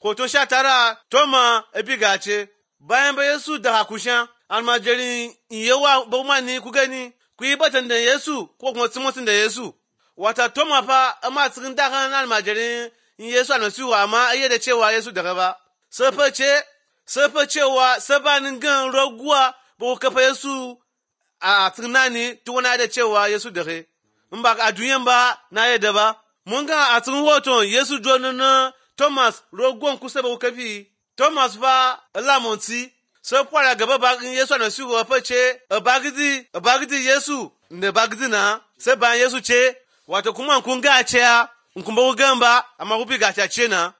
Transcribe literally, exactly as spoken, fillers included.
Hoto sha tara Toma ebigace bayan ba Yesu da hakushan almajirin yawa ba ni ku gani ku yi batan da Yesu ko kuma timotin da Yesu. Wata Toma fa amma cikin dakan almajirin Yesu almasihu amma iya da cewa Yesu daga ba. Sai fa ce sai fa cewa sabanin gan raguwa ba ku kafa Yesu a cikin nani tukuna da cewa Yesu daga. In ba a duniyan ba na yadda ba. Mun ga a cikin hoton Yesu jonin na Thomas rogon kusa ba kafi. Thomas fa lamonti sai kwara gaba bakin Yesu almasihu fa ce bagidi bagidi Yesu ne bagidi na sai bayan Yesu ce wato kuma kun ga ce kun ba ku gan ba amma ku bi ga ce na.